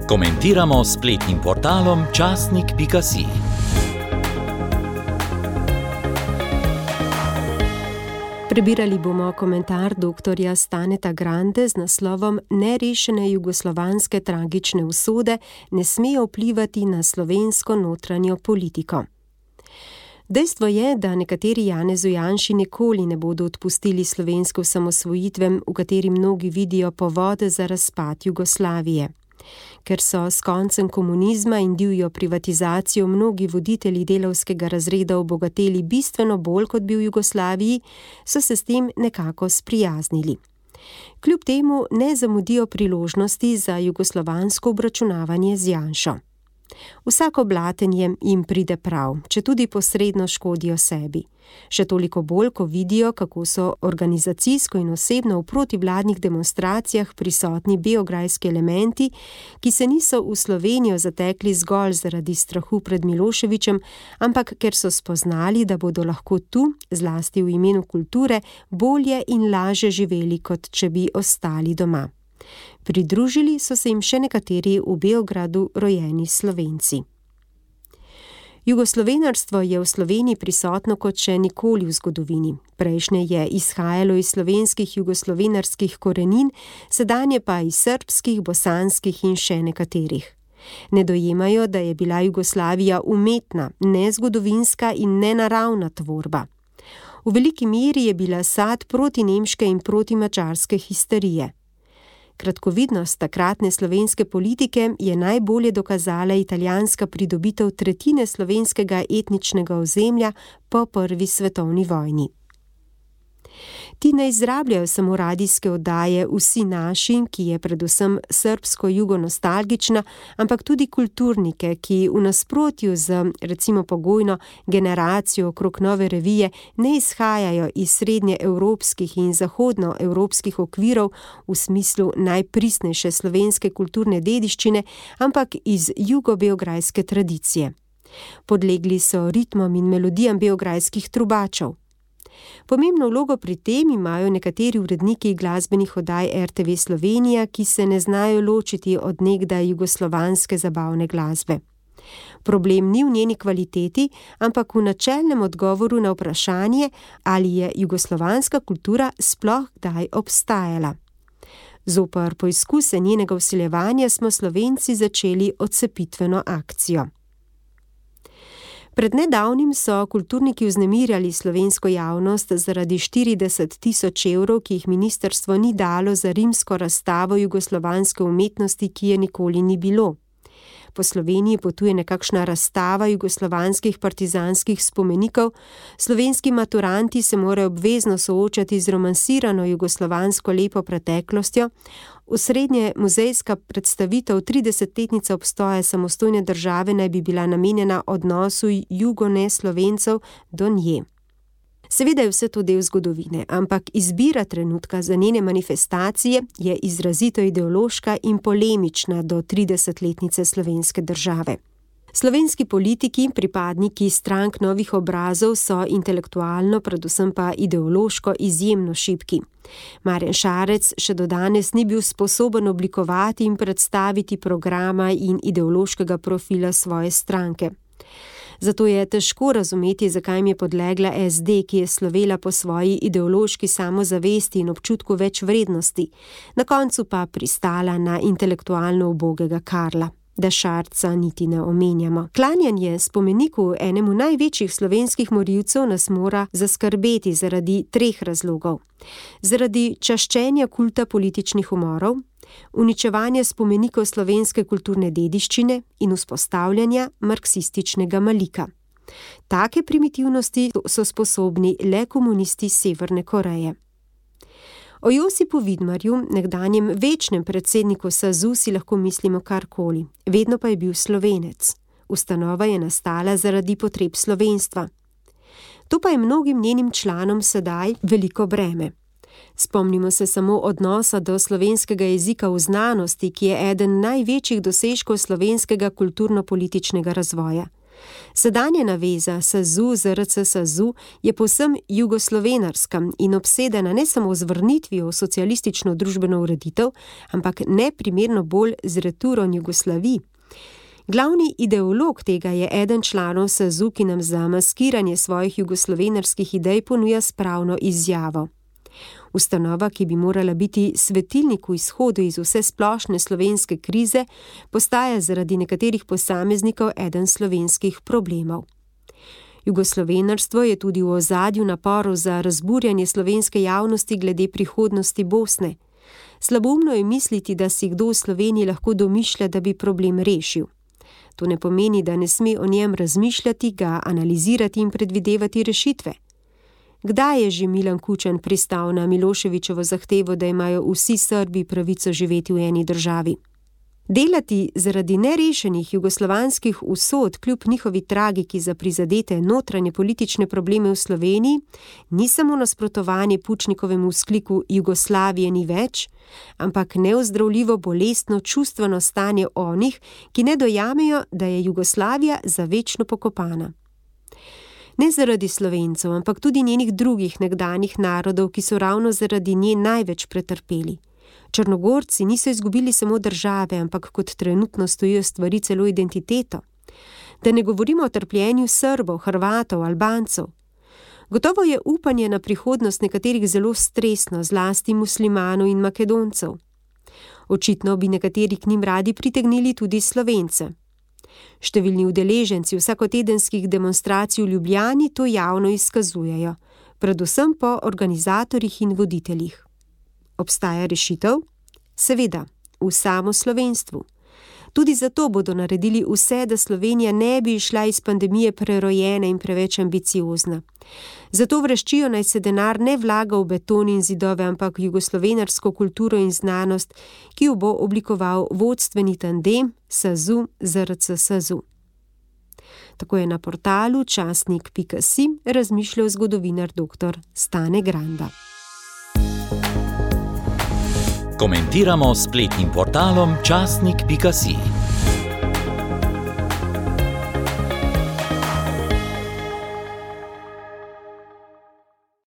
Komentiramo s spletnim portalom časnik.si. Prebirali bomo komentar doktorja Staneta Grande z naslovom Nerešene jugoslovanske tragične usode ne smejo vplivati na slovensko notranjo politiko. Dejstvo je, da nekateri Janezu Janši nikoli ne bodo odpustili slovenske osamosvojitve, v kateri mnogi vidijo povode za razpad Jugoslavije. Ker so s koncem komunizma in divjo privatizacijo mnogi voditelji delavskega razreda obogateli bistveno bolj kot bi v Jugoslaviji, so se s tem nekako sprijaznili. Kljub temu ne zamudijo priložnosti za jugoslovansko obračunavanje z Janšo. Vsako blatenje jim pride prav, četudi posredno škodijo sebi. Še toliko bolj, ko vidijo, kako so organizacijsko in osebno v protivladnih demonstracijah prisotni beograjski elementi, ki se niso v Slovenijo zatekli zgolj zaradi strahu pred Miloševićem, ampak ker so spoznali, da bodo lahko tu, zlasti v imenu kulture, bolje in lažje živeli, kot če bi ostali doma. Pridružili so se jim še nekateri v Beogradu rojeni Slovenci. Jugoslovenarstvo je v Sloveniji prisotno kot še nikoli v zgodovini. Prejšnje je izhajalo iz slovenskih jugoslovenarskih korenin, sedanje pa iz srbskih, bosanskih in še nekaterih. Ne dojemajo, da je bila Jugoslavija umetna, nezgodovinska in nenaravna tvorba. V veliki meri je bila sad protinemške in protimačarske histerije. Kratkovidnost takratne slovenske politike je najbolje dokazala italijanska pridobitev tretjine slovenskega etničnega ozemlja po prvi svetovni vojni. Ti ne izrabljajo samo radijske oddaje Vsi naši, ki je predvsem srbsko-jugonostalgična, ampak tudi kulturnike, ki v nasprotju z, recimo pogojno, generacijo okrog Nove revije ne izhajajo iz srednjeevropskih in zahodnoevropskih okvirov v smislu najpristnejše slovenske kulturne dediščine, ampak iz jugobeograjske tradicije. Podlegli so ritmom in melodijam beograjskih trubačev. Pomembno vlogo pri tem imajo nekateri uredniki glasbenih oddaj RTV Slovenija, ki se ne znajo ločiti od nekdaj jugoslovanske zabavne glasbe. Problem ni v njeni kvaliteti, ampak v načelnem odgovoru na vprašanje, ali je jugoslovanska kultura sploh kdaj obstajala. Zoper poizkuse njenega vsiljevanja smo Slovenci začeli odcepitveno akcijo. Pred nedavnim so kulturniki vznemirjali slovensko javnost zaradi 40 tisoč evrov, ki jih ministrstvo ni dalo za rimsko razstavo jugoslovanske umetnosti, ki je nikoli ni bilo. Po Sloveniji potuje nekakšna razstava jugoslovanskih partizanskih spomenikov, slovenski maturanti se morajo obvezno soočati z romansirano jugoslovansko lepo preteklostjo, osrednje muzejska predstavitev 30-letnica obstoja samostojne države naj bi bila namenjena odnosu jugoneslovencev do nje. Seveda je vse to del zgodovine, ampak izbira trenutka za njene manifestacije je izrazito ideološka in polemična do 30-letnice slovenske države. Slovenski politiki, pripadniki strank novih obrazov so intelektualno, predvsem pa ideološko izjemno šibki. Marjan Šarec še do danes ni bil sposoben oblikovati in predstaviti programa in ideološkega profila svoje stranke. Zato je težko razumeti, zakaj jim je podlegla SD, ki je slovela po svoji ideološki samozavesti in občutku več vrednosti, na koncu pa pristala na intelektualno ubogega Karla. Da Šarca niti ne omenjamo. Klanjanje spomeniku enemu največjih slovenskih morilcev nas mora zaskrbeti zaradi 3 razlogov. Zaradi čaščenja kulta političnih umorov, uničevanja spomenikov slovenske kulturne dediščine in vzpostavljanja marksističnega malika. Take primitivnosti so sposobni le komunisti Severne Koreje. O Josipu Vidmarju, nekdanjem večnem predsedniku SAZU, si lahko mislimo karkoli. Vedno pa je bil Slovenec. Ustanova je nastala zaradi potreb slovenstva. To pa je mnogim njenim članom sedaj veliko breme. Spomnimo se samo odnosa do slovenskega jezika v znanosti, ki je eden največjih dosežkov slovenskega kulturno-političnega razvoja. Sedanja naveza SAZU ZRC SAZU je povsem jugoslovenarska in obsedena ne samo z vrnitvijo v socialistično družbeno ureditev, ampak neprimerno bolj z returom Jugoslaviji. Glavni ideolog tega je eden članov SAZU, ki nam za maskiranje svojih jugoslovenarskih idej ponuja spravno izjavo. Ustanova, ki bi morala biti svetilnik v izhodu iz vse splošne slovenske krize, postaja zaradi nekaterih posameznikov eden slovenskih problemov. Jugoslovenarstvo je tudi v ozadju naporov za razburjanje slovenske javnosti glede prihodnosti Bosne. Slaboumno je misliti, da si kdo v Sloveniji lahko domišlja, da bi problem rešil. To ne pomeni, da ne sme o njem razmišljati, ga analizirati in predvidevati rešitve. Kdaj je že Milan Kučan pristal na Miloševićevo zahtevo, da imajo vsi Srbi pravico živeti v eni državi? Delati zaradi nerešenih jugoslovanskih usod kljub njihovi tragiki za prizadete notranje politične probleme v Sloveniji ni samo nasprotovanje Pučnikovemu vzkliku Jugoslavije ni več, ampak neozdravljivo bolestno čustveno stanje onih, ki ne dojamejo, da je Jugoslavija za večno pokopana. Ne zaradi Slovencev, ampak tudi njenih drugih nekdanjih narodov, ki so ravno zaradi nje največ pretrpeli. Črnogorci niso izgubili samo države, ampak kot trenutno stojijo stvari celo identiteto. Da ne govorimo o trpljenju Srbov, Hrvatov, Albancev. Gotovo je upanje na prihodnost nekaterih zelo stresno, zlasti muslimanov in Makedoncev. Očitno bi nekateri k njim radi pritegnili tudi Slovence. Številni udeleženci vsakotedenskih demonstracij v Ljubljani to javno izkazujejo, predvsem po organizatorjih in voditeljih. Obstaja rešitev? Seveda, v samo slovenstvu. Tudi zato bodo naredili vse, da Slovenija ne bi išla iz pandemije prerojena in preveč ambiciozna. Zato vreščijo, naj se denar ne vlaga v beton in zidove, ampak v jugoslovenarsko kulturo in znanost, ki jo bo oblikoval vodstveni tandem SAZU ZRC SAZU. Tako je na portalu časnik.si razmišljal zgodovinar dr. Stane Granda. Komentiramo s spletnim portalom časnik.si.